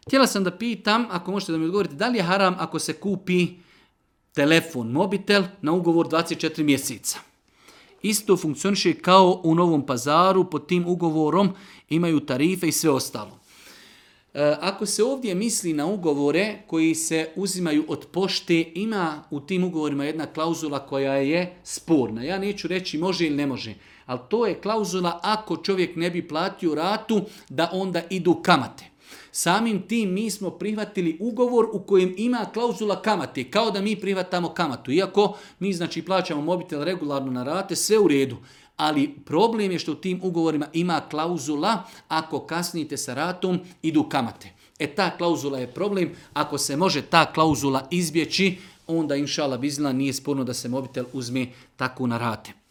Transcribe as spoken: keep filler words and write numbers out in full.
Htjela sam da pitam, ako možete da mi odgovorite, da li je haram ako se kupi telefon, mobitel na ugovor dvadeset četiri mjeseca? Isto funkcioniše kao u Novom Pazaru, pod tim ugovorom imaju tarife i sve ostalo. E, ako se ovdje misli na ugovore koji se uzimaju od pošte, ima u tim ugovorima jedna klauzula koja je sporna. Ja neću reći može ili ne može, ali to je klauzula ako čovjek ne bi platio ratu, da onda idu kamate. Samim tim mi smo prihvatili ugovor u kojem ima klauzula kamate, kao da mi prihvatamo kamatu. Iako mi znači plaćamo mobitel regularno na rate, sve u redu. Ali problem je što u tim ugovorima ima klauzula ako kasnite sa ratom, idu kamate. E ta klauzula je problem. Ako se može ta klauzula izbjeći, onda inšala bizna nije sporno da se mobitel uzme tako na rate.